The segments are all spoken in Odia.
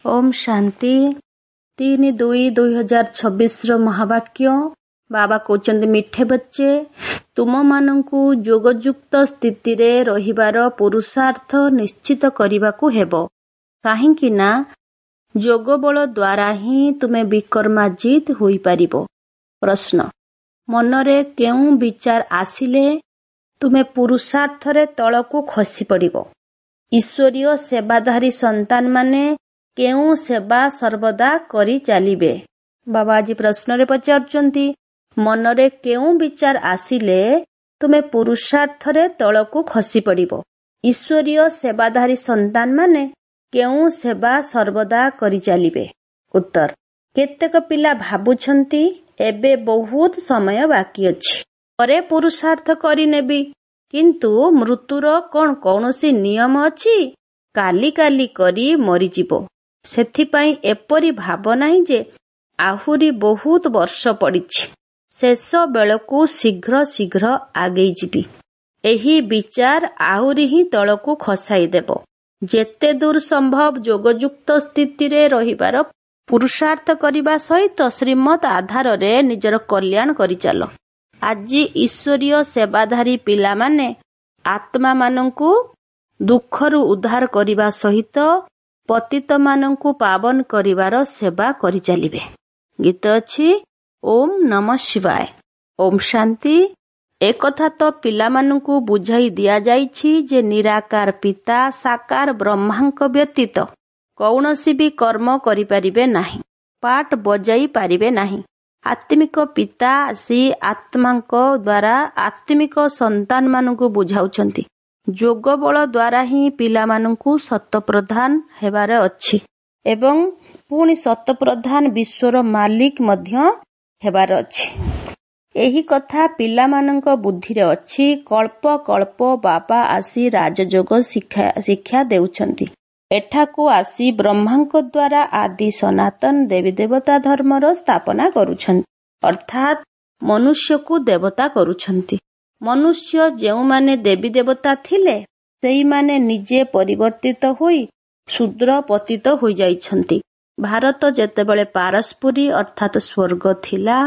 ଓମ୍ ଶାନ୍ତି। 3/2/2026ର ମହାବାକ୍ୟ। ବାବା କହୁଛନ୍ତି, ମିଠେ ବଚ୍ଚେ, ତୁମମାନଙ୍କୁ ଯୋଗଯୁକ୍ତ ସ୍ଥିତିରେ ରହିବାର ପୁରୁଷାର୍ଥ ନିଶ୍ଚିତ କରିବାକୁ ହେବ, କାହିଁକି ନା ଯୋଗ ବଳ ଦ୍ୱାରା ହିଁ ତୁମେ ବିକର୍ମାଜିତ ହୋଇପାରିବ। ପ୍ରଶ୍ନ, ମନରେ କେଉଁ ବିଚାର ଆସିଲେ ତୁମେ ପୁରୁଷାର୍ଥରେ ତଳକୁ ଖସି ପଡ଼ିବ? ଈଶ୍ୱରୀୟ ସେବାଧାରୀ ସନ୍ତାନମାନେ କେଉଁ ସେବା ସର୍ବଦା କରି ଚାଲିବେ? ବାବା ଆଜି ପ୍ରଶ୍ନରେ ପଚାରୁଛନ୍ତି, ମନରେ କେଉଁ ବିଚାର ଆସିଲେ ତୁମେ ପୁରୁଷାର୍ଥରେ ତଳକୁ ଖସି ପଡ଼ିବ? ଈଶ୍ୱରୀୟ ସେବାଧାରୀ ସନ୍ତାନମାନେ କେଉଁ ସେବା ସର୍ବଦା କରି ଚାଲିବେ? ଉତ୍ତର, କେତେକ ପିଲା ଭାବୁଛନ୍ତି ଏବେ ବହୁତ ସମୟ ବାକି ଅଛି, ପରେ ପୁରୁଷାର୍ଥ କରିନେବି। କିନ୍ତୁ ମୃତ୍ୟୁର କଣ କୌଣସି ନିୟମ ଅଛି? କାଲି କାଲି କରି ମରିଯିବ। ସେଥିପାଇଁ ଏପରି ଭାବ ନାହିଁ ଯେ ଆହୁରି ବହୁତ ବର୍ଷ ପଡ଼ିଛି, ଶେଷ ବେଳକୁ ଶୀଘ୍ର ଶୀଘ୍ର ଆଗେଇ ଯିବି। ଏହି ବିଚାର ଆହୁରି ହିଁ ତଳକୁ ଖସାଇ ଦେବ। ଯେତେ ଦୂର ସମ୍ଭବ ଯୋଗଯୁକ୍ତ ସ୍ଥିତିରେ ରହିବାର ପୁରୁଷାର୍ଥ କରିବା ସହିତ ଶ୍ରୀମତ ଆଧାରରେ ନିଜର କଲ୍ୟାଣ କରିଚାଲ। ଆଜି ଈଶ୍ୱରୀୟ ସେବାଧାରୀ ପିଲାମାନେ ଆତ୍ମାମାନଙ୍କୁ ଦୁଃଖରୁ ଉଦ୍ଧାର କରିବା ସହିତ ପତିତମାନଙ୍କୁ ପାବନ କରିବାର ସେବା କରିଚାଲିବେ। ଗୀତ ଅଛି, ଓମ୍ ନମ ଶିବାୟ। ଓମ୍ ଶାନ୍ତି। ଏକଥା ତ ପିଲାମାନଙ୍କୁ ବୁଝାଇ ଦିଆଯାଇଛି ଯେ ନିରାକାର ପିତା ସାକାର ବ୍ରହ୍ମାଙ୍କ ବ୍ୟତୀତ କୌଣସି ବି କର୍ମ କରିପାରିବେ ନାହିଁ, ପାଠ ବଜାଇ ପାରିବେ ନାହିଁ। ଆତ୍ମିକ ପିତା ଆସି ଆତ୍ମାଙ୍କ ଦ୍ୱାରା ଆତ୍ମିକ ସନ୍ତାନମାନଙ୍କୁ ବୁଝାଉଛନ୍ତି। ଯୋଗ ବଳ ଦ୍ୱାରା ହିଁ ପିଲାମାନଙ୍କୁ ସତପ୍ରଧାନ ହେବାର ଅଛି ଏବଂ ପୁଣି ସତପ୍ରଧାନ ବିଶ୍ୱର ମାଲିକ ମଧ୍ୟ ହେବାର ଅଛି। ଏହି କଥା ପିଲାମାନଙ୍କ ବୁଦ୍ଧିରେ ଅଛି। କଳ୍ପ କଳ୍ପ ବାବା ଆସି ରାଜଯୋଗ ଶିକ୍ଷା ଦେଉଛନ୍ତି। ଏଠାକୁ ଆସି ବ୍ରହ୍ମାଙ୍କ ଦ୍ୱାରା ଆଦି ସନାତନ ଦେବୀ ଦେବତା ଧର୍ମର ସ୍ଥାପନା କରୁଛନ୍ତି, ଅର୍ଥାତ୍ ମନୁଷ୍ୟକୁ ଦେବତା କରୁଛନ୍ତି। ମନୁଷ୍ୟ ଯେଉଁମାନେ ଦେବୀ ଦେବତା ଥିଲେ, ସେଇମାନେ ନିଜେ ପରିବର୍ତ୍ତିତ ହୋଇ ଶୂଦ୍ର ପତିତ ହୋଇଯାଇଛନ୍ତି। ଭାରତ ଯେତେବେଳେ ପାରସ୍ପୁରୀ ଅର୍ଥାତ୍ ସ୍ୱର୍ଗ ଥିଲା,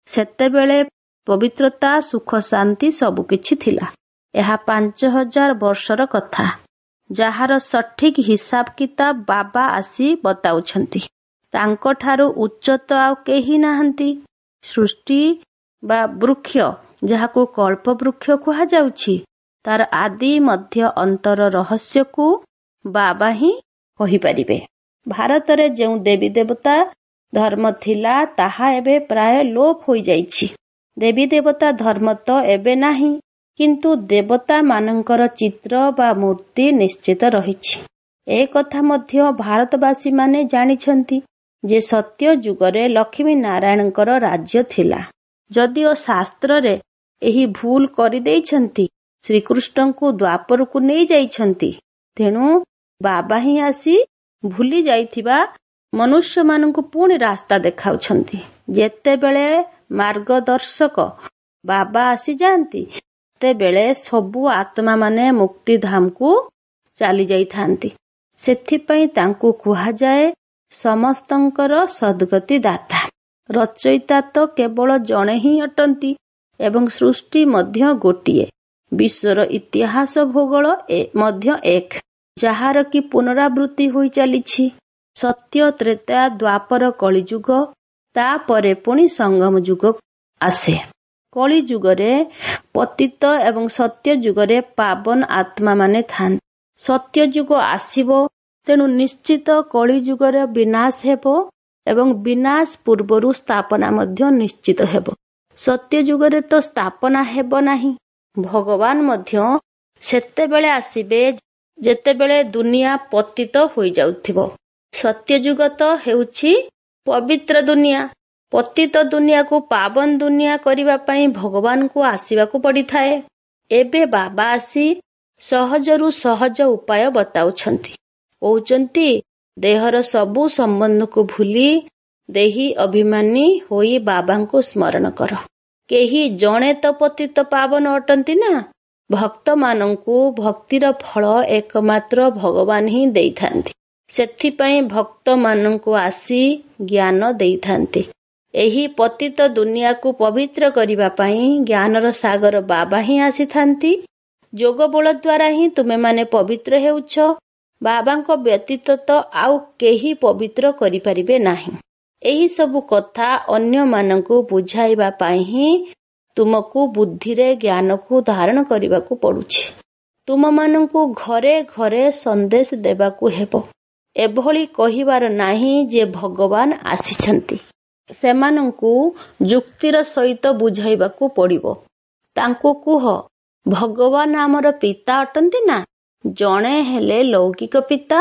ସେତେବେଳେ ପବିତ୍ରତା, ସୁଖ, ଶାନ୍ତି ସବୁକିଛି ଥିଲା। ଏହା 5000 ବର୍ଷର କଥା, ଯାହାର ସଠିକ ହିସାବ କିତାବ ବାବା ଆସି ବତାଉଛନ୍ତି। ତାଙ୍କଠାରୁ ଉଚ୍ଚ ତ ଆଉ କେହି ନାହାନ୍ତି। ସୃଷ୍ଟି ବା ବୃକ୍ଷ, ଯାହାକୁ କଳ୍ପ ବୃକ୍ଷ କୁହାଯାଉଛି, ତାର ଆଦି ମଧ୍ୟ ଅନ୍ତର ରହସ୍ୟକୁ ବାବା ହିଁ କହିପାରିବେ। ଭାରତରେ ଯେଉଁ ଦେବୀ ଦେବତା ଧର୍ମ ଥିଲା, ତାହା ଏବେ ପ୍ରାୟ ଲୋପ ହୋଇଯାଇଛି। ଦେବୀ ଦେବତା ଧର୍ମ ତ ଏବେ ନାହିଁ, କିନ୍ତୁ ଦେବତାମାନଙ୍କର ଚିତ୍ର ବା ମୂର୍ତ୍ତି ନିଶ୍ଚିତ ରହିଛି। ଏ କଥା ମଧ୍ୟ ଭାରତବାସୀମାନେ ଜାଣିଛନ୍ତି ଯେ ସତ୍ୟ ଯୁଗରେ ଲକ୍ଷ୍ମୀ ନାରାୟଣଙ୍କର ରାଜ୍ୟ ଥିଲା। ଯଦିଓ ଶାସ୍ତ୍ରରେ ଏହି ଭୁଲ କରିଦେଇଛନ୍ତି, ଶ୍ରୀକୃଷ୍ଣଙ୍କୁ ଦ୍ୱାପରକୁ ନେଇଯାଇଛନ୍ତି। ତେଣୁ ବାବା ହିଁ ଆସି ଭୁଲି ଯାଇଥିବା ମନୁଷ୍ୟମାନଙ୍କୁ ପୁଣି ରାସ୍ତା ଦେଖାଉଛନ୍ତି। ଯେତେବେଳେ ମାର୍ଗଦର୍ଶକ ବାବା ଆସିଯାଆନ୍ତି, ସେତେବେଳେ ସବୁ ଆତ୍ମାମାନେ ମୁକ୍ତିଧାମକୁ ଚାଲି ଯାଇଥାନ୍ତି। ସେଥିପାଇଁ ତାଙ୍କୁ କୁହାଯାଏ ସମସ୍ତଙ୍କର ସଦ୍ଗତି ଦାତା। ରଚୟିତା ତ କେବଳ ଜଣେ ହିଁ ଅଟନ୍ତି ଏବଂ ସୃଷ୍ଟି ମଧ୍ୟ ଗୋଟିଏ। ବିଶ୍ୱର ଇତିହାସ ଭୂଗୋଳ ମଧ୍ୟ ଏକ, ଯାହାର କି ପୁନରାବୃତ୍ତି ହୋଇ ଚାଲିଛି। ସତ୍ୟ, ତ୍ରେତୟା, ଦ୍ୱାପର, କଳିଯୁଗ, ତାପରେ ପୁଣି ସଙ୍ଗମ ଯୁଗ ଆସେ। କଳିଯୁଗରେ ପତିତ ଏବଂ ସତ୍ୟ ଯୁଗରେ ପାବନ ଆତ୍ମାମାନେ ଥାନ୍ତି। ସତ୍ୟଯୁଗ ଆସିବ, ତେଣୁ ନିଶ୍ଚିତ କଳିଯୁଗର ବିନାଶ ହେବ ଏବଂ ବିନାଶ ପୂର୍ବରୁ ସ୍ଥାପନା ମଧ୍ୟ ନିଶ୍ଚିତ ହେବ। ସତ୍ୟଯୁଗରେ ତ ସ୍ଥାପନା ହେବ ନାହିଁ। ଭଗବାନ ମଧ୍ୟ ସେତେବେଳେ ଆସିବେ ଯେତେବେଳେ ଦୁନିଆ ପତିତ ହୋଇଯାଉଥିବ। ସତ୍ୟଯୁଗ ତ ହେଉଛି ପବିତ୍ର ଦୁନିଆ। ପତିତ ଦୁନିଆକୁ ପାବନ ଦୁନିଆ କରିବା ପାଇଁ ଭଗବାନଙ୍କୁ ଆସିବାକୁ ପଡ଼ିଥାଏ। ଏବେ ବାବା ଆସି ସହଜରୁ ସହଜ ଉପାୟ ବତାଉଛନ୍ତି। କହୁଛନ୍ତି, ଦେହର ସବୁ ସମ୍ବନ୍ଧକୁ ଭୁଲି ଦେହି ଅଭିମାନୀ ହୋଇ ବାବାଙ୍କୁ ସ୍ମରଣ କର। କେହି ଜଣେ ତ ପତିତ ପାବନ ଅଟନ୍ତି ନା? ଭକ୍ତମାନଙ୍କୁ ଭକ୍ତିର ଫଳ ଏକମାତ୍ର ଭଗବାନ ହିଁ ଦେଇଥାନ୍ତି। ସେଥିପାଇଁ ଭକ୍ତମାନଙ୍କୁ ଆସି ଜ୍ଞାନ ଦେଇଥାନ୍ତି। ଏହି ପତିତ ଦୁନିଆକୁ ପବିତ୍ର କରିବା ପାଇଁ ଜ୍ଞାନର ସାଗର ବାବା ହିଁ ଆସିଥାନ୍ତି। ଯୋଗ ବଳ ଦ୍ୱାରା ହିଁ ତୁମେମାନେ ପବିତ୍ର ହେଉଛ। ବାବାଙ୍କ ବ୍ୟତୀତ ତ ଆଉ କେହି ପବିତ୍ର କରିପାରିବେ ନାହିଁ। ଏହି ସବୁ କଥା ଅନ୍ୟମାନଙ୍କୁ ବୁଝାଇବା ପାଇଁ ହିଁ ତୁମକୁ ବୁଦ୍ଧିରେ ଜ୍ଞାନକୁ ଧାରଣ କରିବାକୁ ପଡୁଛି। ତୁମମାନଙ୍କୁ ଘରେ ଘରେ ସନ୍ଦେଶ ଦେବାକୁ ହେବ। ଏଭଳି କହିବାର ନାହିଁ ଯେ ଭଗବାନ ଆସିଛନ୍ତି। ସେମାନଙ୍କୁ ଯୁକ୍ତିର ସହିତ ବୁଝାଇବାକୁ ପଡ଼ିବ। ତାଙ୍କୁ କୁହ, ଭଗବାନ ଆମର ପିତା ଅଟନ୍ତି ନା? ଜଣେ ହେଲେ ଲୌକିକ ପିତା,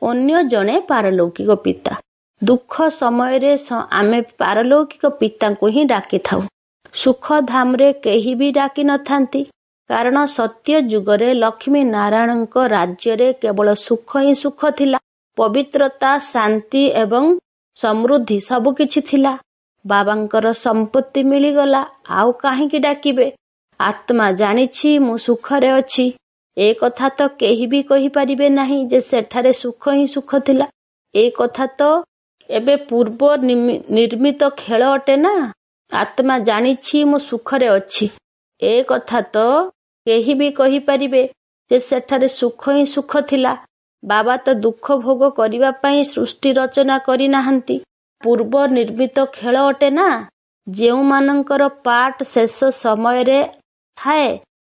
ଅନ୍ୟ ଜଣେ ପାରଲୌକିକ ପିତା। ଦୁଃଖ ସମୟରେ ଆମେ ପାରଲୌକିକ ପିତାଙ୍କୁ ହିଁ ଡାକିଥାଉ। ସୁଖଧାମରେ କେହି ବି ଡାକି ନଥାନ୍ତି, କାରଣ ସତ୍ୟ ଯୁଗରେ ଲକ୍ଷ୍ମୀ ନାରାୟଣଙ୍କ ରାଜ୍ୟରେ କେବଳ ସୁଖ ହିଁ ସୁଖ ଥିଲା। ପବିତ୍ରତା, ଶାନ୍ତି ଏବଂ ସମୃଦ୍ଧି ସବୁକିଛି ଥିଲା। ବାବାଙ୍କର ସମ୍ପତ୍ତି ମିଳିଗଲା, ଆଉ କାହିଁକି ଡାକିବେ? ଆତ୍ମା ଜାଣିଛି ମୁଁ ସୁଖରେ ଅଛି। ଏ କଥା ତ କେହି ବି କହିପାରିବେ ନାହିଁ ଯେ ସେଠାରେ ସୁଖ ହିଁ ସୁଖ ଥିଲା। ଏ କଥା ତ ଏବେ ପୂର୍ବ ନିର୍ମିତ ଖେଳ ଅଟେ ନା? ଆତ୍ମା ଜାଣିଛି ମୁଁ ସୁଖରେ ଅଛି। ଏ କଥା ତ କେହି ବି କହିପାରିବେ ଯେ ସେଠାରେ ସୁଖ ହିଁ ସୁଖ ଥିଲା। ବାବା ତ ଦୁଃଖ ଭୋଗ କରିବା ପାଇଁ ସୃଷ୍ଟି ରଚନା କରିନାହାନ୍ତି। ପୂର୍ବ ନିର୍ମିତ ଖେଳ ଅଟେ ନା? ଯେଉଁମାନଙ୍କର ପାଠ ଶେଷ ସମୟରେ ଥାଏ,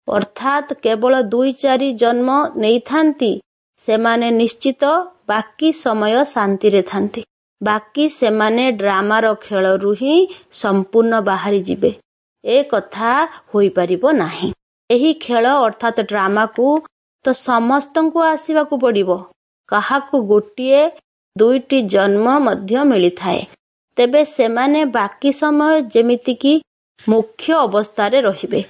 ଅର୍ଥାତ୍ କେବଳ 2-4 ଜନ୍ମ ନେଇଥାନ୍ତି, ସେମାନେ ନିଶ୍ଚିତ ବାକି ସମୟ ଶାନ୍ତିରେ ଥାନ୍ତି। ବାକି ସେମାନେ ଡ୍ରାମାର ଖେଳରୁ ହିଁ ସମ୍ପୂର୍ଣ୍ଣ ବାହାରିଯିବେ। ଏ କଥା ହୋଇପାରିବ ନାହିଁ। ଏହି ଖେଳ ଅର୍ଥାତ୍ ଡ୍ରାମାକୁ ତ ସମସ୍ତଙ୍କୁ ଆସିବାକୁ ପଡ଼ିବ। କାହାକୁ ଗୋଟିଏ 2ଟି ଜନ୍ମ ମଧ୍ୟ ମିଳିଥାଏ। ତେବେ ସେମାନେ ବାକି ସମୟ ଯେମିତିକି ମୁଖ୍ୟ ଅବସ୍ଥାରେ ରହିବେ।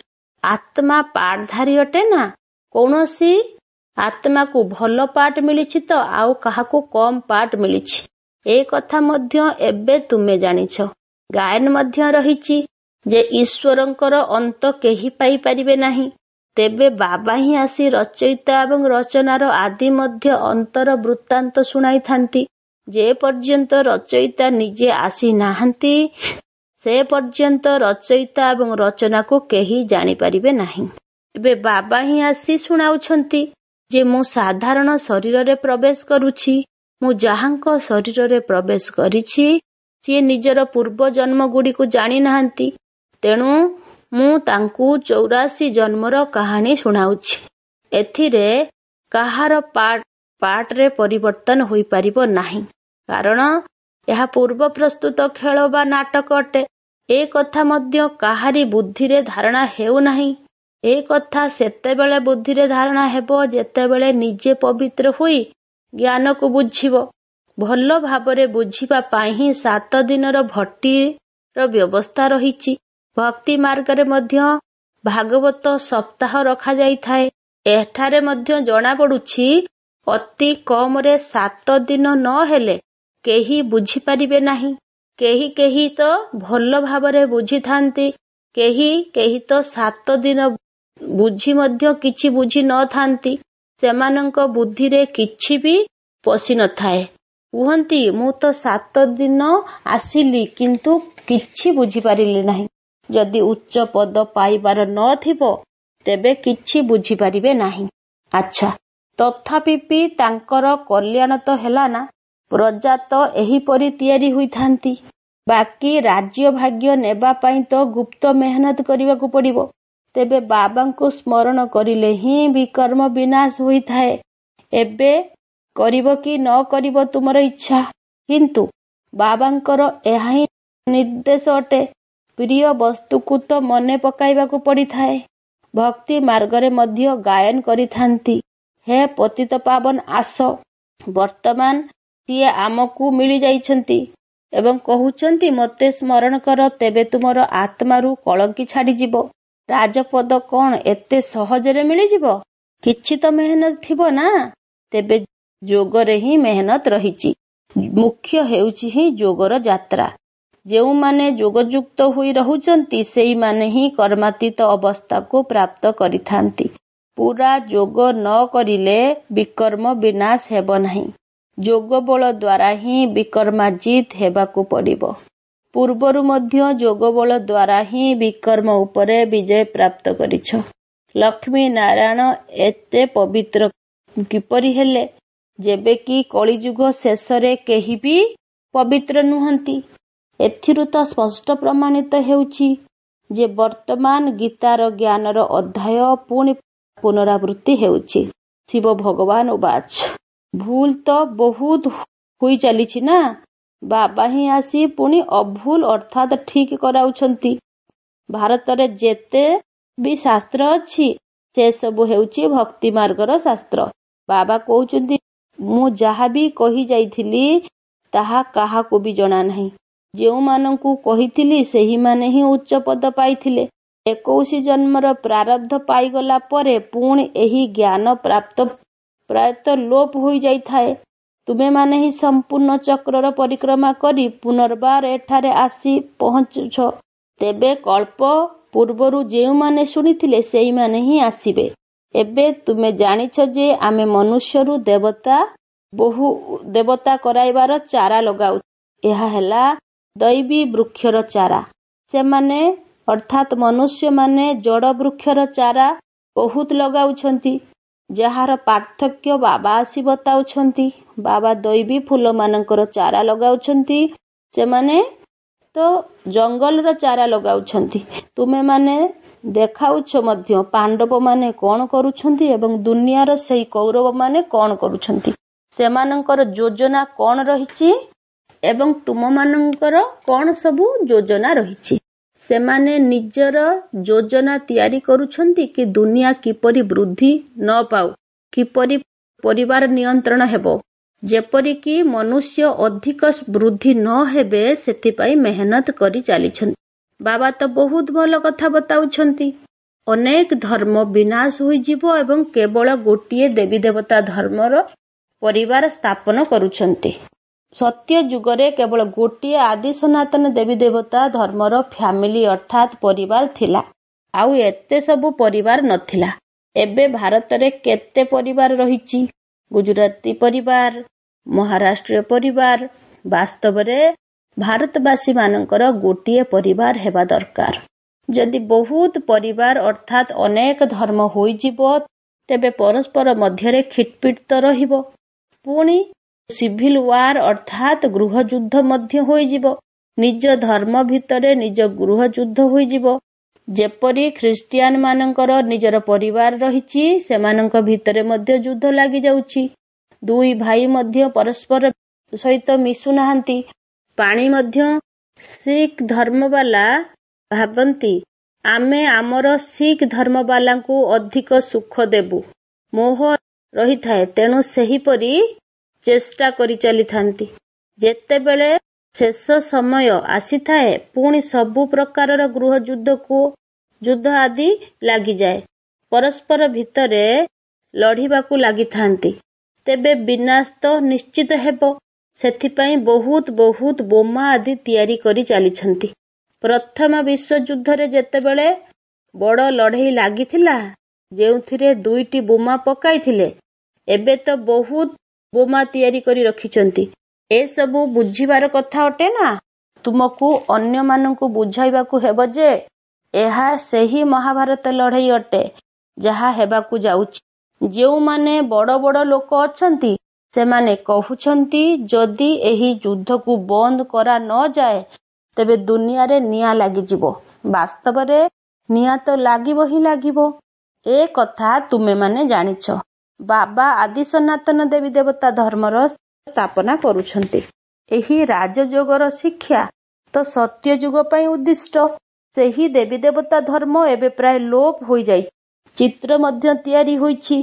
ଆତ୍ମା ପାଠଧାରୀ ଅଟେ ନା? କୌଣସି ଆତ୍ମାକୁ ଭଲ ପାଠ ମିଳିଛି ତ ଆଉ କାହାକୁ କମ୍ ପାଠ ମିଳିଛି। ଏ କଥା ମଧ୍ୟ ଏବେ ତୁମେ ଜାଣିଛ। ଗାୟନ ମଧ୍ୟ ରହିଛି ଯେ ଈଶ୍ୱରଙ୍କର ଅନ୍ତ କେହି ପାଇପାରିବେ ନାହିଁ। ତେବେ ବାବା ହିଁ ଆସି ରଚୟିତା ଏବଂ ରଚନାର ଆଦି ମଧ୍ୟ ଅନ୍ତର ବୃତ୍ତାନ୍ତ ଶୁଣାଇଥାନ୍ତି। ଯେ ପର୍ଯ୍ୟନ୍ତ ରଚୟିତା ନିଜେ ଆସିନାହାନ୍ତି, ସେ ପର୍ଯ୍ୟନ୍ତ ରଚୟିତା ଏବଂ ରଚନାକୁ କେହି ଜାଣିପାରିବେ ନାହିଁ। ଏବେ ବାବା ହିଁ ଆସି ଶୁଣାଉଛନ୍ତି ଯେ ମୁଁ ସାଧାରଣ ଶରୀରରେ ପ୍ରବେଶ କରୁଛି। ମୁଁ ଯାହାଙ୍କ ଶରୀରରେ ପ୍ରବେଶ କରିଛି, ସିଏ ନିଜର ପୂର୍ବ ଜନ୍ମଗୁଡ଼ିକୁ ଜାଣିନାହାନ୍ତି। ତେଣୁ ମୁଁ ତାଙ୍କୁ 84 ଜନ୍ମର କାହାଣୀ ଶୁଣାଉଛି। ଏଥିରେ କାହାର ପାଠରେ ପରିବର୍ତ୍ତନ ହୋଇପାରିବ ନାହିଁ, କାରଣ ଏହା ପୂର୍ବ ପ୍ରସ୍ତୁତ ଖେଳ ବା ନାଟକ ଅଟେ। ଏ କଥା ମଧ୍ୟ କାହାରି ବୁଦ୍ଧିରେ ଧାରଣା ହେଉନାହିଁ। ଏ କଥା ସେତେବେଳେ ବୁଦ୍ଧିରେ ଧାରଣା ହେବ ଯେତେବେଳେ ନିଜେ ପବିତ୍ର ହୋଇ ଜ୍ଞାନକୁ ବୁଝିବ। ଭଲ ଭାବରେ ବୁଝିବା ପାଇଁ ହିଁ 7 ଦିନର ଭଟ୍ଟିର ବ୍ୟବସ୍ଥା ରହିଛି। ଭକ୍ତି ମାର୍ଗରେ ମଧ୍ୟ ଭାଗବତ ସପ୍ତାହ ରଖାଯାଇଥାଏ। ଏଠାରେ ମଧ୍ୟ ଜଣାପଡୁଛି ଅତି କମରେ 7 ଦିନ ନ ହେଲେ କେହି ବୁଝିପାରିବେ ନାହିଁ। କେହି କେହି ତ ଭଲ ଭାବରେ ବୁଝିଥାନ୍ତି, କେହି କେହି ତ 7 ଦିନ ବୁଝି ମଧ୍ୟ କିଛି ବୁଝି ନଥାନ୍ତି। ସେମାନଙ୍କ ବୁଦ୍ଧିରେ କିଛି ବି ପଶି ନଥାଏ। କୁହନ୍ତି, ମୁଁ ତ 7 ଦିନ ଆସିଲି, କିନ୍ତୁ କିଛି ବୁଝିପାରିଲି ନାହିଁ। ଯଦି ଉଚ୍ଚ ପଦ ପାଇବାର ନଥିବ, ତେବେ କିଛି ବୁଝିପାରିବେ ନାହିଁ। ଆଚ୍ଛା, ତଥାପି ବି ତାଙ୍କର କଲ୍ୟାଣ ତ ହେଲା ନା? ପ୍ରଜା ତ ଏହିପରି ତିଆରି ହୋଇଥାନ୍ତି। ବାକି ରାଜ୍ୟ ଭାଗ୍ୟ ନେବା ପାଇଁ ତ ଗୁପ୍ତ ମେହନତ କରିବାକୁ ପଡ଼ିବ। ତେବେ ବାବାଙ୍କୁ ସ୍ମରଣ କରିଲେ ହିଁ ବିକର୍ମ ବିନାଶ ହୋଇଥାଏ। ଏବେ କରିବ କି ନ କରିବ ତୁମର ଇଚ୍ଛା, କିନ୍ତୁ ବାବାଙ୍କର ଏହା ହିଁ ନିର୍ଦ୍ଦେଶ ଅଟେ। ପ୍ରିୟ ବସ୍ତୁକୁ ତ ମନେ ପକାଇବାକୁ ପଡ଼ିଥାଏ। ଭକ୍ତି ମାର୍ଗରେ ମଧ୍ୟ ଗାୟନ କରିଥାନ୍ତି, ହେ ପତିତ ପାବନ ଆସ। ବର୍ତ୍ତମାନ ସିଏ ଆମକୁ ମିଳିଯାଇଛନ୍ତି ଏବଂ କହୁଛନ୍ତି, ମୋତେ ସ୍ମରଣ କର, ତେବେ ତୁମର ଆତ୍ମାରୁ କଳଙ୍କି ଛାଡ଼ିଯିବ। ରାଜପଦ କଣ ଏତେ ସହଜରେ ମିଳିଯିବ? କିଛି ତ ମେହନତ ଥିବ ନା? ତେବେ ଯୋଗରେ ହିଁ ମେହନତ ରହିଛି। ମୁଖ୍ୟ ହେଉଛି ହିଁ ଯୋଗର ଯାତ୍ରା। ଯେଉଁମାନେ ଯୋଗଯୁକ୍ତ ହୋଇ ରହୁଛନ୍ତି, ସେଇମାନେ ହିଁ କର୍ମାତୀତ ଅବସ୍ଥାକୁ ପ୍ରାପ୍ତ କରିଥାନ୍ତି। ପୁରା ଯୋଗ ନ କରିଲେ ବିକର୍ମ ବିନାଶ ହେବ ନାହିଁ। ଯୋଗବଳ ଦ୍ୱାରା ହିଁ ବିକର୍ମାଜିତ ହେବାକୁ ପଡ଼ିବ। ପୂର୍ବରୁ ମଧ୍ୟ ଯୋଗବଳ ଦ୍ୱାରା ହିଁ ବିକର୍ମ ଉପରେ ବିଜୟ ପ୍ରାପ୍ତ କରିଛ। ଲକ୍ଷ୍ମୀ ନାରାୟଣ ଏତେ ପବିତ୍ର କିପରି ହେଲେ, ଯେବେ କି କଳିଯୁଗ ଶେଷରେ କେହି ବି ପବିତ୍ର ନୁହନ୍ତି? ଏଥିରୁ ତ ସ୍ପଷ୍ଟ ପ୍ରମାଣିତ ହେଉଛି ଯେ ବର୍ତ୍ତମାନ ଗୀତାର ଜ୍ଞାନର ଅଧ୍ୟାୟ ପୁଣି ପୁନରାବୃତ୍ତି ହେଉଛି। ଶିବ ଭଗବାନ ଉବାଚ। ଭୁଲ ତ ବହୁତ ହୋଇ ଚାଲିଛି ନା? ବାବା ହିଁ ଆସି ପୁଣି ଅଭୁଲ ଅର୍ଥାତ୍ ଠିକ୍ କରାଉଛନ୍ତି। ଭାରତରେ ଯେତେ ବି ଶାସ୍ତ୍ର ଅଛି, ସେସବୁ ହେଉଛି ଭକ୍ତି ମାର୍ଗର ଶାସ୍ତ୍ର। ବାବା କହୁଛନ୍ତି, ମୁଁ ଯାହା ବି କହି ଯାଇଥିଲି ତାହା କାହାକୁ ବି ଜଣା ନାହିଁ। ଯେଉଁମାନଙ୍କୁ କହିଥିଲି ସେହିମାନେ ହିଁ ଉଚ୍ଚ ପଦ ପାଇଥିଲେ। 21 ଜନ୍ମର ପ୍ରାରବ୍ଧ ପାଇଗଲା ପରେ ପୁଣି ଏହି ଜ୍ଞାନ ପ୍ରାପ୍ତ ପ୍ରାୟତଃ ଲୋପ ହୋଇଯାଇଥାଏ। ତୁମେମାନେ ହିଁ ସମ୍ପୂର୍ଣ୍ଣ ଚକ୍ରର ପରିକ୍ରମା କରି ପୁନର୍ବାର ଏଠାରେ ଆସି ପହଞ୍ଚୁଛ। ତେବେ କଳ୍ପ ପୂର୍ବରୁ ଯେଉଁମାନେ ଶୁଣିଥିଲେ ସେଇମାନେ ହିଁ ଆସିବେ। ଏବେ ତୁମେ ଜାଣିଛ ଯେ ଆମେ ମନୁଷ୍ୟରୁ ଦେବତା ବହୁ ଦେବତା କରାଇବାର ଚାରା ଲଗାଉଛୁ। ଏହା ହେଲା ଦୈବୀ ବୃକ୍ଷର ଚାରା। ସେମାନେ ଅର୍ଥାତ୍ ମନୁଷ୍ୟମାନେ ଜଡ଼ ବୃକ୍ଷର ଚାରା ବହୁତ ଲଗାଉଛନ୍ତି, ଯାହାର ପାର୍ଥକ୍ୟ ବାବା ଆସି ବତାଉଛନ୍ତି। ବାବା ଦୈବୀ ଫୁଲମାନଙ୍କର ଚାରା ଲଗାଉଛନ୍ତି, ସେମାନେ ତ ଜଙ୍ଗଲର ଚାରା ଲଗାଉଛନ୍ତି। ତୁମେମାନେ ଦେଖାଉଛ ମଧ୍ୟ ପାଣ୍ଡବମାନେ କଣ କରୁଛନ୍ତି ଏବଂ ଦୁନିଆର ସେଇ କୌରବମାନେ କଣ କରୁଛନ୍ତି, ସେମାନଙ୍କର ଯୋଜନା କଣ ରହିଛି ଏବଂ ତୁମମାନଙ୍କର କଣ ସବୁ ଯୋଜନା ରହିଛି। ସେମାନେ ନିଜର ଯୋଜନା ତିଆରି କରୁଛନ୍ତି କି ଦୁନିଆ କିପରି ବୃଦ୍ଧି ନ ପାଉ, କିପରି ପରିବାର ନିୟନ୍ତ୍ରଣ ହେବ, ଯେପରିକି ମନୁଷ୍ୟ ଅଧିକ ବୃଦ୍ଧି ନ ହେବେ, ସେଥିପାଇଁ ମେହନତ କରି ଚାଲିଛନ୍ତି। ବାବା ତ ବହୁତ ଭଲ କଥା ବତାଉଛନ୍ତି। ଅନେକ ଧର୍ମ ବିନାଶ ହୋଇଯିବ ଏବଂ କେବଳ ଗୋଟିଏ ଦେବୀ ଦେବତା ଧର୍ମର ପରିବାର ସ୍ଥାପନ କରୁଛନ୍ତି। ସତ୍ୟ ଯୁଗରେ କେବଳ ଗୋଟିଏ ଆଦି ସନାତନ ଦେବୀ ଦେବତା ଧର୍ମର ଫ୍ୟାମିଲି ଅର୍ଥାତ୍ ପରିବାର ଥିଲା, ଆଉ ଏତେ ସବୁ ପରିବାର ନଥିଲା। ଏବେ ଭାରତରେ କେତେ ପରିବାର ରହିଛି? ଗୁଜୁରାତି ପରିବାର, ମହାରାଷ୍ଟ୍ରୀୟ ପରିବାର। ବାସ୍ତବରେ ଭାରତବାସୀମାନଙ୍କର ଗୋଟିଏ ପରିବାର ହେବା ଦରକାର। ଯଦି ବହୁତ ପରିବାର ଅର୍ଥାତ୍ ଅନେକ ଧର୍ମ ହୋଇଯିବ, ତେବେ ପରସ୍ପର ମଧ୍ୟରେ ଖିଟପିଟ ତ ରହିବ, ପୁଣି ସିଭିଲ ୱାର ଅର୍ଥାତ୍ ଗୃହଯୁଦ୍ଧ ମଧ୍ୟ ହୋଇଯିବ। ନିଜ ଧର୍ମ ଭିତରେ ନିଜ ଗୃହଯୁଦ୍ଧ ହୋଇଯିବ। ଯେପରି ଖ୍ରୀଷ୍ଟିଆନ ମାନଙ୍କର ନିଜର ପରିବାର ରହିଛି, ସେମାନଙ୍କ ଭିତରେ ମଧ୍ୟ ଯୁଦ୍ଧ ଲାଗିଯାଉଛି। ଦୁଇ ଭାଇ ମଧ୍ୟ ପରସ୍ପର ସହିତ ମିଶୁନାହାନ୍ତି। ପାଣି ମଧ୍ୟ ଶିଖ ଧର୍ମବାଲା ଭାବନ୍ତି ଆମେ ଆମର ଶିଖ ଧର୍ମବାଲାଙ୍କୁ ଅଧିକ ସୁଖ ଦେବୁ, ମୋହ ରହିଥାଏ, ତେଣୁ ସେହିପରି ଚେଷ୍ଟା କରି ଚାଲିଥାନ୍ତି। ଯେତେବେଳେ ଶେଷ ସମୟ ଆସିଥାଏ, ପୁଣି ସବୁ ପ୍ରକାରର ଗୃହଯୁଦ୍ଧକୁ ଯୁଦ୍ଧ ଆଦି ଲାଗିଯାଏ, ପରସ୍ପର ଭିତରେ ଲଢ଼ିବାକୁ ଲାଗିଥାନ୍ତି। ତେବେ ବିନାଶ ତ ନିଶ୍ଚିତ ହେବ। ସେଥିପାଇଁ ବହୁତ ବହୁତ ବୋମା ଆଦି ତିଆରି କରି ଚାଲିଛନ୍ତି। ପ୍ରଥମ ବିଶ୍ୱଯୁଦ୍ଧରେ ଯେତେବେଳେ ବଡ଼ ଲଢ଼େଇ ଲାଗିଥିଲା, ଯେଉଁଥିରେ 2ଟି ବୋମା ପକାଇଥିଲେ, ଏବେ ତ ବହୁତ ବୋମା ତିଆରି କରି ରଖିଛନ୍ତି। ଏସବୁ ବୁଝିବାର କଥା ଅଟେ ନା? ତୁମକୁ ଅନ୍ୟମାନଙ୍କୁ ବୁଝାଇବାକୁ ହେବ ଯେ ଏହା ସେହି ମହାଭାରତ ଲଢ଼େଇ ଅଟେ ଯାହା ହେବାକୁ ଯାଉଛି। ଯେଉଁମାନେ ବଡ଼ ବଡ଼ ଲୋକ ଅଛନ୍ତି, ସେମାନେ କହୁଛନ୍ତି ଯଦି ଏହି ଯୁଦ୍ଧକୁ ବନ୍ଦ କରା ନ ଯାଏ ତେବେ ଦୁନିଆରେ ନିଆଁ ଲାଗିଯିବ। ବାସ୍ତବରେ ନିଆଁ ତ ଲାଗିବ ହିଁ ଲାଗିବ। ଏ କଥା ତୁମେମାନେ ଜାଣିଛ। ବାବା ଆଦି ସନାତନ ଦେବୀ ଦେବତା ଧର୍ମର ସ୍ଥାପନା କରୁଛନ୍ତି। ଏହି ରାଜଯୋଗର ଶିକ୍ଷା ତ ସତ୍ୟଯୁଗ ପାଇଁ ଉଦ୍ଦିଷ୍ଟ। ସେହି ଦେବୀ ଦେବତା ଧର୍ମ ଏବେ ପ୍ରାୟ ଲୋପ ହୋଇଯାଇଛି। ଚିତ୍ର ମଧ୍ୟ ତିଆରି ହୋଇଛି।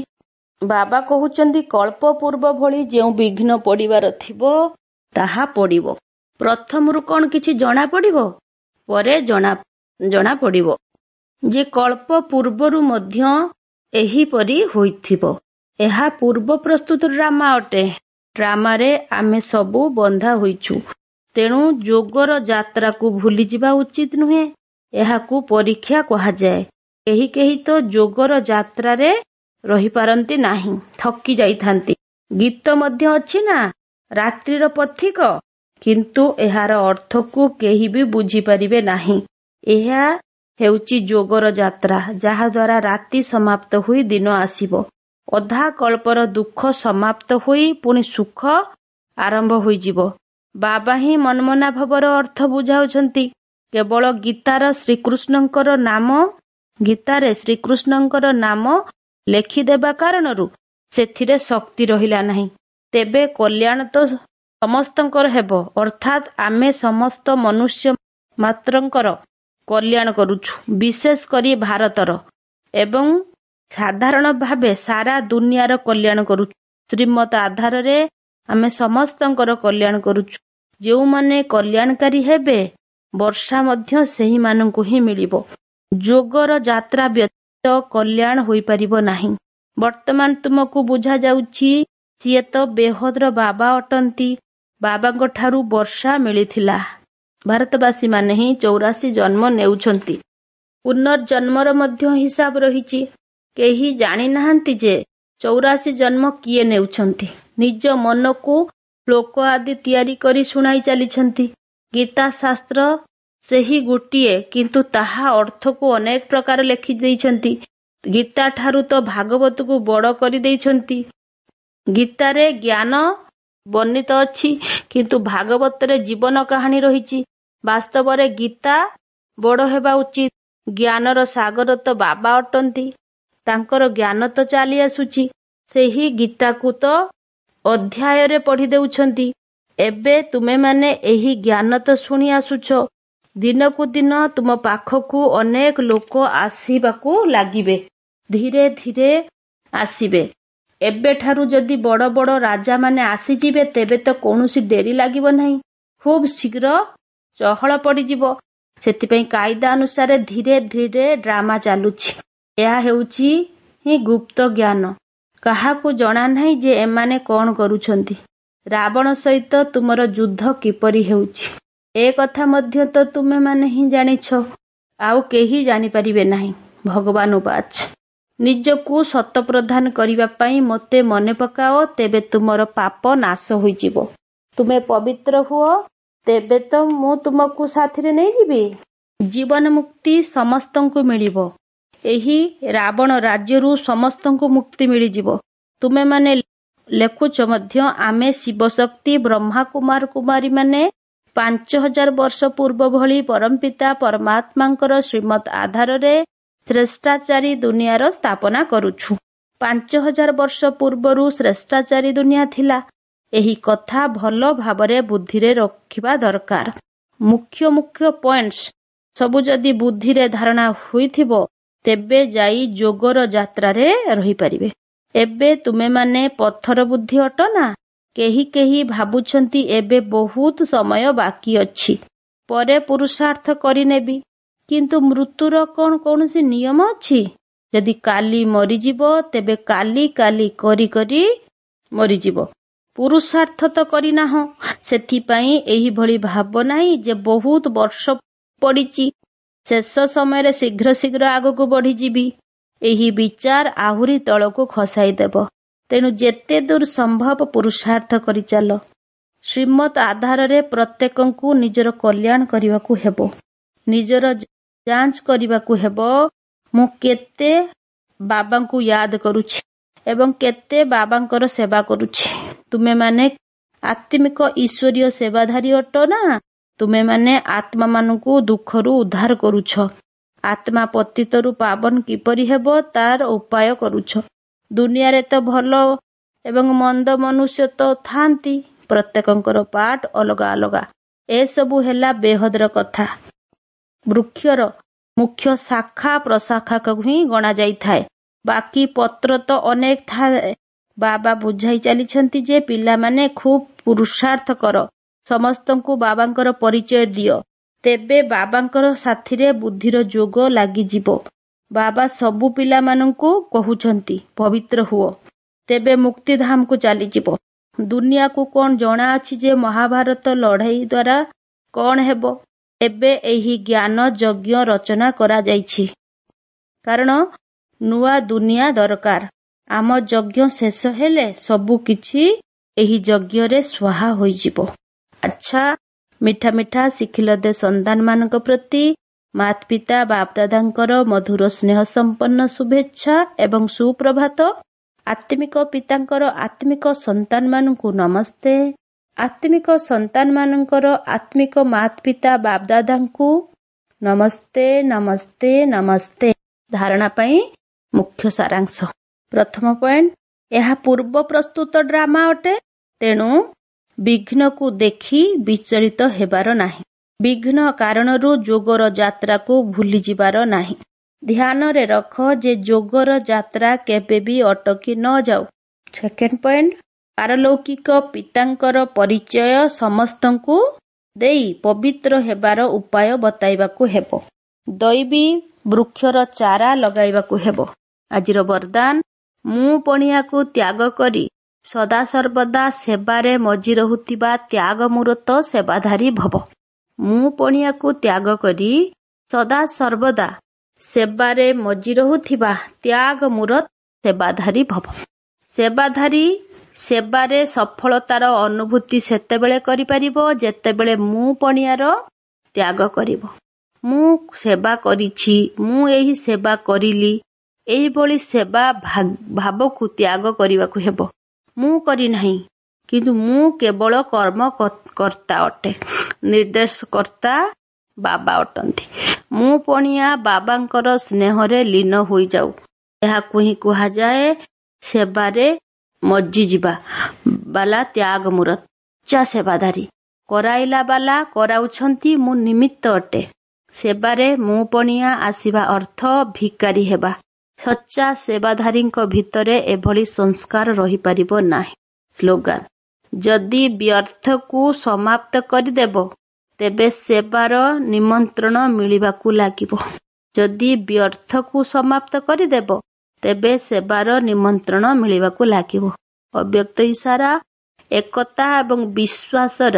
ବାବା କହୁଛନ୍ତି କଳ୍ପ ପୂର୍ବ ଭଳି ଯେଉଁ ବିଘ୍ନ ପଡ଼ିବାର ଥିବ ତାହା ପଡ଼ିବ। ପ୍ରଥମରୁ କଣ କିଛି ଜଣା ପଡ଼ିବ? ପରେ ଜଣା ପଡ଼ିବ ଯେ କଳ୍ପ ପୂର୍ବରୁ ମଧ୍ୟ ଏହିପରି ହୋଇଥିବ। ଏହା ପୂର୍ବ ପ୍ରସ୍ତୁତ ଡ୍ରାମା ଅଟେ। ଡ୍ରାମାରେ ଆମେ ସବୁ ବନ୍ଧା ହୋଇଛୁ। ତେଣୁ ଯୋଗର ଯାତ୍ରାକୁ ଭୁଲିଯିବା ଉଚିତ ନୁହେଁ। ଏହାକୁ ପରୀକ୍ଷା କୁହାଯାଏ। କେହି କେହି ତ ଯୋଗର ଯାତ୍ରାରେ ରହିପାରନ୍ତି ନାହିଁ, ଥକି ଯାଇଥାନ୍ତି। ଗୀତ ମଧ୍ୟ ଅଛି ନା, ରାତ୍ରିର ପଥିକ। କିନ୍ତୁ ଏହାର ଅର୍ଥକୁ କେହି ବି ବୁଝିପାରିବେ ନାହିଁ। ଏହା ହେଉଛି ଯୋଗର ଯାତ୍ରା, ଯାହାଦ୍ୱାରା ରାତି ସମାପ୍ତ ହୋଇ ଦିନ ଆସିବ। ଅଧା କଳ୍ପର ଦୁଃଖ ସମାପ୍ତ ହୋଇ ପୁଣି ସୁଖ ଆରମ୍ଭ ହୋଇଯିବ। ବାବା ହିଁ ମନମନାଭବର ଅର୍ଥ ବୁଝାଉଛନ୍ତି। କେବଳ ଗୀତାର ଶ୍ରୀକୃଷ୍ଣଙ୍କର ନାମ ଗୀତାରେ ଶ୍ରୀକୃଷ୍ଣଙ୍କର ନାମ ଲେଖିଦେବା କାରଣରୁ ସେଥିରେ ଶକ୍ତି ରହିଲା ନାହିଁ। ତେବେ କଲ୍ୟାଣ ତ ସମସ୍ତଙ୍କର ହେବ, ଅର୍ଥାତ୍ ଆମେ ସମସ୍ତ ମନୁଷ୍ୟ ମାତ୍ରଙ୍କର କଲ୍ୟାଣ କରୁଛୁ, ବିଶେଷ କରି ଭାରତର ଏବଂ ସାଧାରଣ ଭାବେ ସାରା ଦୁନିଆର କଲ୍ୟାଣ କରୁଛୁ। ଶ୍ରୀମତ ଆଧାରରେ ଆମେ ସମସ୍ତଙ୍କର କଲ୍ୟାଣ କରୁଛୁ। ଯେଉଁମାନେ କଲ୍ୟାଣକାରୀ ହେବେ, ବର୍ଷା ମଧ୍ୟ ସେହିମାନଙ୍କୁ ହିଁ ମିଳିବ। ଯୋଗର ଯାତ୍ରା ବ୍ୟତୀତ କଲ୍ୟାଣ ହୋଇପାରିବ ନାହିଁ। ବର୍ତ୍ତମାନ ତୁମକୁ ବୁଝାଯାଉଛି, ସିଏ ତ ବେହଦର ବାବା ଅଟନ୍ତି। ବାବାଙ୍କ ଠାରୁ ବର୍ଷା ମିଳିଥିଲା। ଭାରତବାସୀମାନେ ହିଁ 84 ଜନ୍ମ ନେଉଛନ୍ତି। ପୁନର୍ଜନ୍ମର ମଧ୍ୟ ହିସାବ ରହିଛି। କେହି ଜାଣିନାହାନ୍ତି ଯେ 84 ଜନ୍ମ କିଏ ନେଉଛନ୍ତି। ନିଜ ମନକୁ ଶ୍ଳୋକ ଆଦି ତିଆରି କରି ଶୁଣାଇ ଚାଲିଛନ୍ତି। ଗୀତା ଶାସ୍ତ୍ର ସେହି ଗୋଟିଏ, କିନ୍ତୁ ତାହା ଅର୍ଥକୁ ଅନେକ ପ୍ରକାର ଲେଖି ଦେଇଛନ୍ତି। ଗୀତା ଠାରୁ ତ ଭାଗବତକୁ ବଡ଼ କରିଦେଇଛନ୍ତି। ଗୀତାରେ ଜ୍ଞାନ ବର୍ଣ୍ଣିତ ଅଛି, କିନ୍ତୁ ଭାଗବତରେ ଜୀବନ କାହାଣୀ ରହିଛି। ବାସ୍ତବରେ ଗୀତା ବଡ଼ ହେବା ଉଚିତ। ଜ୍ଞାନର ସାଗର ତ ବାବା ଅଟନ୍ତି। ତାଙ୍କର ଜ୍ଞାନ ତ ଚାଲି ଆସୁଛି। ସେହି ଗୀତାକୁ ତ ଅଧ୍ୟାୟରେ ପଢ଼ି ଦେଉଛନ୍ତି। ଏବେ ତୁମେମାନେ ଏହି ଜ୍ଞାନ ତ ଶୁଣି ଆସୁଛ। ଦିନକୁ ଦିନ ତୁମ ପାଖକୁ ଅନେକ ଲୋକ ଆସିବାକୁ ଲାଗିବେ, ଧୀରେ ଧୀରେ ଆସିବେ। ଏବେଠାରୁ ଯଦି ବଡ଼ ବଡ଼ ରାଜାମାନେ ଆସିଯିବେ, ତେବେ ତ କୌଣସି ଡେରି ଲାଗିବ ନାହିଁ, ଖୁବ୍ ଶୀଘ୍ର ଚହଳ ପଡ଼ିଯିବ। ସେଥିପାଇଁ କାଇଦା ଅନୁସାରେ ଧୀରେ ଧୀରେ ଡ୍ରାମା ଚାଲୁଛି। ଏହା ହେଉଛି ହିଁ ଗୁପ୍ତ ଜ୍ଞାନ। କାହାକୁ ଜଣା ନାହିଁ ଯେ ଏମାନେ କଣ କରୁଛନ୍ତି। ରାବଣ ସହିତ ତୁମର ଯୁଦ୍ଧ କିପରି ହେଉଛି, ଏ କଥା ମଧ୍ୟ ତ ତୁମେମାନେ ହିଁ ଜାଣିଛ, ଆଉ କେହି ଜାଣିପାରିବେ ନାହିଁ। ଭଗବାନ ଉବାଚ, ନିଜକୁ ସତପ୍ରଧାନ କରିବା ପାଇଁ ମୋତେ ମନେ ପକାଅ, ତେବେ ତୁମର ପାପ ନାଶ ହୋଇଯିବ। ତୁମେ ପବିତ୍ର ହୁଅ, ତେବେ ତ ମୁଁ ତୁମକୁ ସାଥିରେ ନେଇଯିବି। ଜୀବନ ମୁକ୍ତି ସମସ୍ତଙ୍କୁ ମିଳିବ। ଏହି ରାବଣ ରାଜ୍ୟରୁ ସମସ୍ତଙ୍କୁ ମୁକ୍ତି ମିଳିଯିବ। ତୁମେମାନେ ଲେଖୁଛ ମଧ୍ୟ, ଆମେ ଶିବଶକ୍ତି ବ୍ରହ୍ମା କୁମାର କୁମାରୀମାନେ 5000 ବର୍ଷ ପୂର୍ବ ଭଳି ପରମପିତା ପରମାତ୍ମାଙ୍କର ଶ୍ରୀମତ ଆଧାରରେ ଶ୍ରେଷ୍ଠାଚାରୀ ଦୁନିଆର ସ୍ଥାପନା କରୁଛୁ। 5000 ବର୍ଷ ପୂର୍ବରୁ ଶ୍ରେଷ୍ଠାଚାରୀ ଦୁନିଆ ଥିଲା। ଏହି କଥା ଭଲ ଭାବରେ ବୁଦ୍ଧିରେ ରଖିବା ଦରକାର। ମୁଖ୍ୟ ମୁଖ୍ୟ ପଏଣ୍ଟସ୍ ସବୁ ଯଦି ବୁଦ୍ଧିରେ ଧାରଣା ହୋଇଥିବ, ତେବେ ଯାଇ ଯୋଗର ଯାତ୍ରାରେ ରହିପାରିବେ। ଏବେ ତୁମେମାନେ ପଥର ବୁଦ୍ଧି ଅଟ ନା? କେହି କେହି ଭାବୁଛନ୍ତି ଏବେ ବହୁତ ସମୟ ବାକି ଅଛି, ପରେ ପୁରୁଷାର୍ଥ କରିନେବି। କିନ୍ତୁ ମୃତ୍ୟୁର କଣ କୌଣସି ନିୟମ ଅଛି? ଯଦି କାଲି ମରିଯିବ, ତେବେ କାଲି କାଲି କରି କରି ମରିଯିବ। ପୁରୁଷାର୍ଥ ତ କରିନାହଁ। ସେଥିପାଇଁ ଏହିଭଳି ଭାବ ନାହିଁ ଯେ ବହୁତ ବର୍ଷ ପଡ଼ିଛି, ଶେଷ ସମୟରେ ଶୀଘ୍ର ଶୀଘ୍ର ଆଗକୁ ବଢ଼ିଯିବି। ଏହି ବିଚାର ଆହୁରି ତଳକୁ ଖସାଇଦେବ। ତେଣୁ ଯେତେ ଦୂର ସମ୍ଭବ ପୁରୁଷାର୍ଥ କରିଚାଲ। ଶ୍ରୀମତ ଆଧାରରେ ପ୍ରତ୍ୟେକଙ୍କୁ ନିଜର କଲ୍ୟାଣ କରିବାକୁ ହେବ। ନିଜର ଯାଞ୍ଚ କରିବାକୁ ହେବ, ମୁଁ କେତେ ବାବାଙ୍କୁ ୟାଦ କରୁଛି ଏବଂ କେତେ ବାବାଙ୍କର ସେବା କରୁଛି। ତୁମେମାନେ ଆତ୍ମିକ ଈଶ୍ୱରୀୟ ସେବାଧାରୀ ଅଟ ନା? ତୁମେମାନେ ଆତ୍ମାମାନଙ୍କୁ ଦୁଃଖରୁ ଉଦ୍ଧାର କରୁଛ। ଆତ୍ମା ପତିତରୁ ପାବନ କିପରି ହେବ ତାର ଉପାୟ କରୁଛ। ଦୁନିଆରେ ତ ଭଲ ଏବଂ ମନ୍ଦ ମନୁଷ୍ୟ ତ ଥାନ୍ତି, ପ୍ରତ୍ୟେକଙ୍କର ପାଠ ଅଲଗା ଅଲଗା। ଏସବୁ ହେଲା ବେହଦର କଥା। ବୃକ୍ଷର ମୁଖ୍ୟ ଶାଖା ପ୍ରଶାଖାକୁ ହିଁ ଗଣାଯାଇଥାଏ, ବାକି ପତ୍ର ତ ଅନେକ ଥାଏ। ବାବା ବୁଝାଇ ଚାଲିଛନ୍ତି ଯେ ପିଲାମାନେ ଖୁବ୍ ପୁରୁଷାର୍ଥ କର, ସମସ୍ତଙ୍କୁ ବାବାଙ୍କର ପରିଚୟ ଦିଅ, ତେବେ ବାବାଙ୍କର ସାଥିରେ ବୁଦ୍ଧିର ଯୋଗ ଲାଗିଯିବ। ବାବା ସବୁ ପିଲାମାନଙ୍କୁ କହୁଛନ୍ତି ପବିତ୍ର ହୁଅ, ତେବେ ମୁକ୍ତିଧାମକୁ ଚାଲିଯିବ। ଦୁନିଆକୁ କଣ ଜଣା ଅଛି ଯେ ମହାଭାରତ ଲଢ଼େଇ ଦ୍ୱାରା କଣ ହେବ? ଏବେ ଏହି ଜ୍ଞାନ ଯଜ୍ଞ ରଚନା କରାଯାଇଛି, କାରଣ ନୂଆ ଦୁନିଆ ଦରକାର। ଆମ ଯଜ୍ଞ ଶେଷ ହେଲେ ସବୁ କିଛି ଏହି ଯଜ୍ଞରେ ସ୍ୱାହା ହୋଇଯିବ। ଆଚ୍ଛା, ମିଠା ମିଠା ସିଖିଲଦେ ସନ୍ତାନମାନଙ୍କ ପ୍ରତି ମାତ ପିତା ବାପଦାଦାଙ୍କର ମଧୁର ସ୍ନେହ ସମ୍ପନ୍ନ ଶୁଭେଚ୍ଛା ଏବଂ ସୁପ୍ରଭାତ। ଆତ୍ମିକ ପିତାଙ୍କର ଆତ୍ମିକ ସନ୍ତାନମାନଙ୍କୁ ନମସ୍ତେ। ଆତ୍ମିକ ସନ୍ତାନମାନଙ୍କର ଆତ୍ମିକ ମାତ ପିତା ବାପଦାଦାଙ୍କୁ ନମସ୍ତେ, ନମସ୍ତେ, ନମସ୍ତେ। ଧାରଣା ପାଇଁ ମୁଖ୍ୟ ସାରାଂଶ। ପ୍ରଥମ ପଏଣ୍ଟ, ଏହା ପୂର୍ବ ପ୍ରସ୍ତୁତ ଡ୍ରାମା ଅଟେ, ତେଣୁ ବିଘ୍ନକୁ ଦେଖି ବିଚଳିତ ହେବାର ନାହିଁ। ବିଘ୍ନ କାରଣରୁ ଯୋଗର ଯାତ୍ରାକୁ ଭୁଲିଯିବାର ନାହିଁ। ଧ୍ୟାନରେ ରଖ ଯେ ଯୋଗର ଯାତ୍ରା କେବେ ବି ଅଟକି ନ ଯାଉ। ସେକେଣ୍ଡ ପଏଣ୍ଟ, ପାରଲୌକିକ ପିତାଙ୍କର ପରିଚୟ ସମସ୍ତଙ୍କୁ ଦେଇ ପବିତ୍ର ହେବାର ଉପାୟ ବତାଇବାକୁ ହେବ। ଦୈବୀ ବୃକ୍ଷର ଚାରା ଲଗାଇବାକୁ ହେବ। ଆଜିର ବରଦାନ, ମୁଁ ପଣିଆକୁ ତ୍ୟାଗ କରି ସଦାସର୍ବଦା ସେବାରେ ମଜି ରହୁଥିବା ତ୍ୟାଗ ମୂରତ ସେବାଧାରୀ ଭବ। ମୁଁ ପଣିଆକୁ ତ୍ୟାଗ କରି ସଦାସର୍ବଦା ସେବାରେ ମଜି ରହୁଥିବା ତ୍ୟାଗ ମୂରତ ସେବାଧାରୀ ଭବ। ସେବାଧାରୀ ସେବାରେ ସଫଳତାର ଅନୁଭୂତି ସେତେବେଳେ କରିପାରିବ ଯେତେବେଳେ ମୁଁ ପଣିଆର ତ୍ୟାଗ କରିବ। ମୁଁ ସେବା କରିଛି, ମୁଁ ଏହି ସେବା କରିଲି, ଏହିଭଳି ସେବା ଭାବକୁ ତ୍ୟାଗ କରିବାକୁ ହେବ। ମୁଁ କରିନାହିଁ, କିନ୍ତୁ ମୁଁ କେବଳ କର୍ମ କର୍ତ୍ତା ଅଟେ, ନିର୍ଦ୍ଦେଶକର୍ତ୍ତା ବାବା ଅଟନ୍ତି। ମୁଁ ପଣିଆ ବାବାଙ୍କର ସ୍ନେହରେ ଲୀନ ହୋଇଯାଉ। ଏହାକୁ ହିଁ କୁହାଯାଏ ସେବାରେ ମଜିଯିବା ବାଲା ତ୍ୟାଗ ମୂରତ ସେବାଧାରୀ। କରାଇଲା ବାଲା କରାଉଛନ୍ତି, ମୁଁ ନିମିତ୍ତ ଅଟେ। ସେବାରେ ମୁଁ ପଣିଆ ଆସିବା ଅର୍ଥ ଭିକାରୀ ହେବା। ସଚ୍ଚା ସେବାଧାରୀଙ୍କ ଭିତରେ ଏଭଳି ସଂସ୍କାର ରହିପାରିବ ନାହିଁ। ସ୍ଲୋଗାନ, ଯଦି ବ୍ୟର୍ଥକୁ ସମାପ୍ତ କରିଦେବ ତେବେ ସେବାର ନିମନ୍ତ୍ରଣ ମିଳିବାକୁ ଲାଗିବ। ଯଦି ବ୍ୟର୍ଥକୁ ସମାପ୍ତ କରିଦେବ ତେବେ ସେବାର ନିମନ୍ତ୍ରଣ ମିଳିବାକୁ ଲାଗିବ। ଅବ୍ୟକ୍ତ ଇସାରା, ଏକତା ଏବଂ ବିଶ୍ୱାସର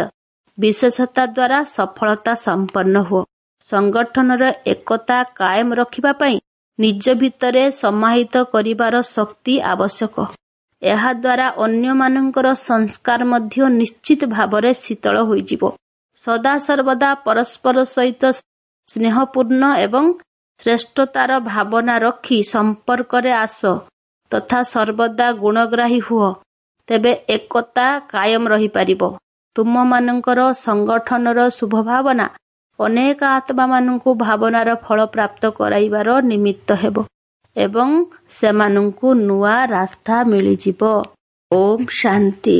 ବିଶେଷତା ଦ୍ୱାରା ସଫଳତା ସମ୍ପନ୍ନ ହୁଅ। ସଂଗଠନର ଏକତା କାଏମ ରଖିବା ପାଇଁ ନିଜ ଭିତରେ ସମାହିତ କରିବାର ଶକ୍ତି ଆବଶ୍ୟକ। ଏହାଦ୍ୱାରା ଅନ୍ୟମାନଙ୍କର ସଂସ୍କାର ମଧ୍ୟ ନିଶ୍ଚିତ ଭାବରେ ଶୀତଳ ହୋଇଯିବ। ସଦାସର୍ବଦା ପରସ୍ପର ସହିତ ସ୍ନେହପୂର୍ଣ୍ଣ ଏବଂ ଶ୍ରେଷ୍ଠତାର ଭାବନା ରଖି ସମ୍ପର୍କରେ ଆସ ତଥା ସର୍ବଦା ଗୁଣଗ୍ରାହୀ ହୁଅ, ତେବେ ଏକତା କାୟମ ରହିପାରିବ। ତୁମମାନଙ୍କର ସଂଗଠନର ଶୁଭ ଭାବନା ଅନେକ ଆତ୍ମାମାନଙ୍କୁ ଭାବନାର ଫଳ ପ୍ରାପ୍ତ କରାଇବାର ନିମିତ୍ତ ହେବ ଏବଂ ସେମାନଙ୍କୁ ନୂଆ ରାସ୍ତା ମିଳିଯିବ। ଓମ୍ ଶାନ୍ତି।